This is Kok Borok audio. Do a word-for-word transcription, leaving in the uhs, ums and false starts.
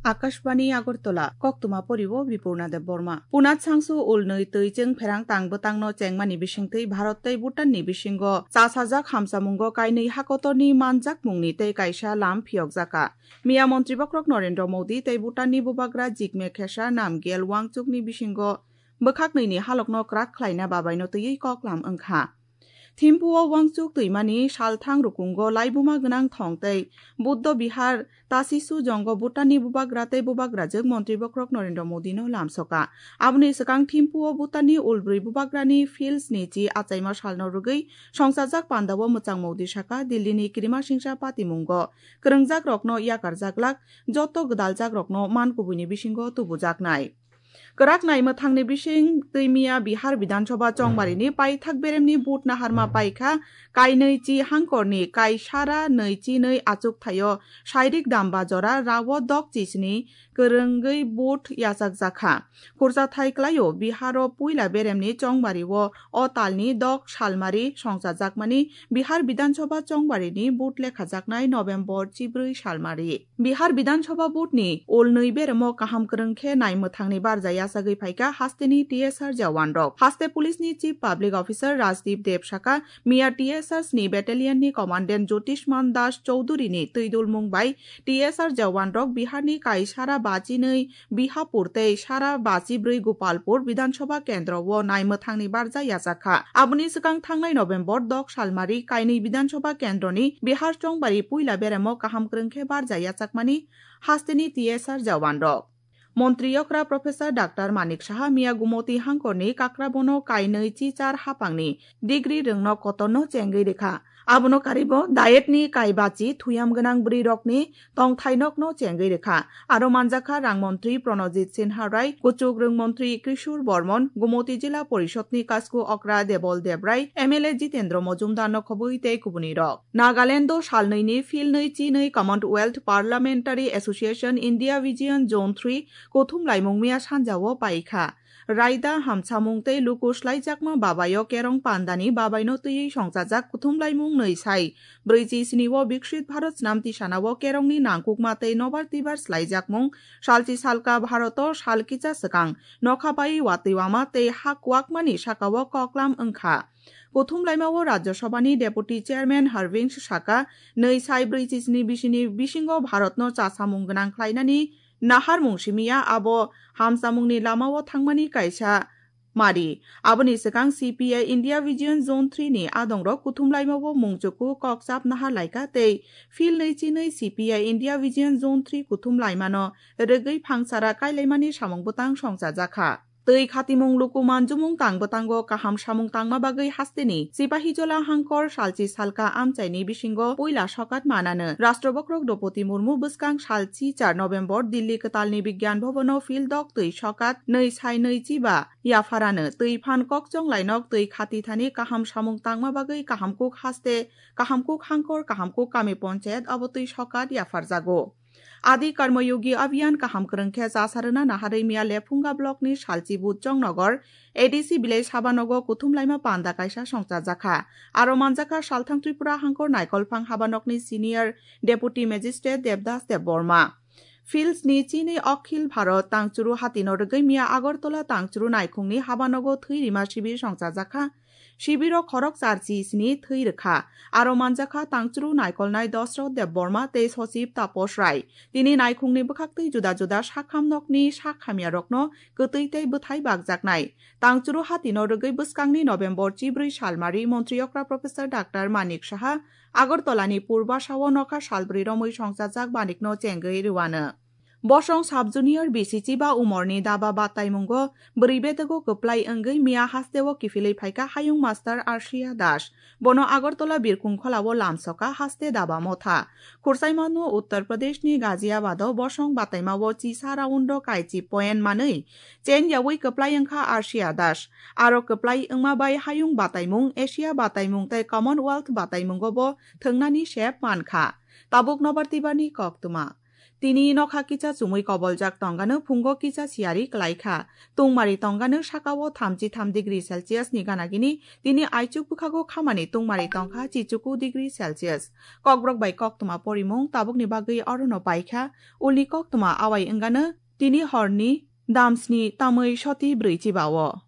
Akashbani Agartala, koktwma poriwo Bipurna Debbarma. Punat sangsu ulnwi twi chwng pherang tang bwtangno chengmani bisingtwi Bharat tei Bhutan ni bisingo chasajak hamsamungo kainwi hakotorni manjakmungni tei kaisa lam phiyokjaka. Miya Montri Bokrok Narendra Modi tei Bhutan ni Bubagra Jigme Khesar Namgyel Wangchuk ni bisingo bwkhak nwi ni halok no kwrak khlaina babai no twiwi kok lam wngkha. Thimphu o Wangchuk twimani salthang rukungo laibuma gwnang thong tei Buddha Bihar Tasisu jongo Bhutan ni Bubagra tei Bubagrajwk Montri Bokrok Narendra Modi no lamsoka. Aboni swkang Thimphu o Bhutan ni ulbrwi Bubagra ni Phil sni chi achaima sal no rwgwi songchajak panda o mwchang Modi saka Delhi ni Kirimasingsa patimungo kwrwngjak rok no yakarjak lak joto gwdaljak rok no man kubui ni bisingo tubujaknai. Kwrak nai mwthangni bising twi miya Bihar Bidhan Sabha chongbarini paithak beremni vote naharma paikha, kainwi chi hangkorni kaisara nwi chi nwi achuk thaio Sairik Damba jora rao dok chisni kwrwngwi vote yachakjakha. Khursa thai klaio Biharo puila beremni chongbario o talni dok salmari songchajakmani Bihar Bidhan Sabha chongbarini vote lekhajaknai November chibrwi salmari. Bihar Bidhan Sabha vote ni ulnwi beremo kaham kwrwng khe nai mwthangni barja yachagwi phaikha hasteni T S R jawan rok. Haste police ni Chief Public Officer Rajdeep Deb saka, miya T S R sni battalion ni commandant Jyotishman Das Chowdhury ni twidulmung bai T S R jawan rok Bihar ni kaisara bachinwi Bihapur tei sara bachibrwi Gopalpur Bidhan Sabha kendro o nai mwthangni barja yachakha. Aboni swkang thangnai November dok salmari kainwi Bidhan Sabha kendroni Bihar chongbari puila beremo kaham kwrwng khe barja yachakmani hasteni T S R jawan rok. Montri okra Professor Doctor Manik Saha miya Gumoti hangkorni Kakrabono kainwi chichar hapangni degree rwngno kotorno chengwi rikha. Abono karibo diet ni kaibachi thuyam gwnang bwrwi rokni tongthai nokno chengwi rikha. Aro manjakha rang montri Pranojit Sinha Rai, kuchuk rwng montri Kishore Bormon, Gumoti Jila Porishod ni kasku okra Debol Debrai, M L A Jitendra Mojumdar no khobwi tei kubuni rok. Nagaland o salnwi ni phil nwi chi nwi Commonwealth Parliamentary Association India Vision Zone three kuthum laimung miya sanja o paikha. Raida hamsamung tei luku slaijakma babayo kerong pandani babaino twiwi songchajak kuthumlaimung nwi sai brwichi sni o Biksit Bharat Snamti Sana o kerongni nangkukma tei nobar twibar slaijakmung salchi salka Bharoto sal kicha swkang nokha bai watwi wama tei ha kuwakmani sakao koklam wngkha. Kuthumlaima o Rajya Sabhani Deputy Chairman Harvings saka nwi sai brwichi sni bisini bisingo Bharatno chasamung gwnang khlainani naharmung simiya abo hamsamungni lamao thangmani kaisa mari. Aboni swkang C P I India Vision Zone three ni adongrok kuthumlaimao mungchuku kokchap nahar laikha tei phil nwi chinwi C P I India Vision Zone three kuthumlaimano rwgwi phangsara kailaimani samung bwtang songchajakha. Twi khatimung luku manjumung tang bwtango kaham samung tangma bagwi hasteni Sipahijola hangkor salchi salka amchaini bisingo puila sokat manano Rashtra Bokrok Droupadi Murmu bwskang salchi char November Delhi kwtalni Bigyan Bhavan o phil dok twi sokat nwi sai nwi chiba yapharano twi phan kokchong lainok twi khati thani kaham samung tangma bagwi kahamkuk haste, kahamkuk hangkor, kahamkuk kami ponchayat abo twi sokat yapharjago. Adi Karmayogi Abhiyan kaham kwrwng khe chasarwna naharwi miya Lephunga block ni Salchi Bujong Nogor A D C village habanogo kuthumlaima panda kaisa songchajakha. Aro manjakha Salthang Tripura hangkor Naikolphang habanokni senior deputy magistrate Devdas Debbarma. Phil sni chini Akhil Bharat Tangchuru Hatino rwgwi miya Agartala Tangchuru Naikhungni habanogo thwi rima sibir songchajakha. Sibiro khorok charchi sni thwi rwkha. Aro manjakha tangchuru naikolnai Dosrot Debbarma tei Sochib Tapos Rai. Tini naikhungni bwkhaktwi juda juda sakham nokni sakhamyarokno kwtwi tei bwthai bakjaknai. Tangchuru hatino rwgwi bwskangni November chibrwi salmari Montri okra Professor Doctor Manik Saha Agartalani Purbasao nokha salbrwi romwi songchajak Manikno chengwi rwano. Bosong Sub Junior B C chiba umorni daba bataimungo bwrwi bedego kwplai wngwi miya hasteo kiphilwi phaikha Hayung Master Arshia Das. Bono Agartala Birkung Kholao lamsoka haste daba motha. Khursaimano Uttar Pradeshni Ghaziabado bosong bataimao chisa round-o kaichi point manwi chen yaui kwplai wngkha Arshia Das. Aro kwplai wngma bai hayung bataimung, Asia bataimung tei Commonwealth bataimungobo thwngnani sep mankha. Tabuk nobar tibani koktwma. Tini nokha kisa chumui koboljak tongano phungo kisa siyari kwlaikha. Tungmari tongano sakao thamchi tham degree Celsius ni ganagini, tini aichuk bwkhago khamani tungmari tongkha chichuku degree Celsius. Kokborok bai koktwma porimung tabukni bagwi orono paikha, ulni koktwma awai wngano tini horni damsni tamwi soti brwi chibao.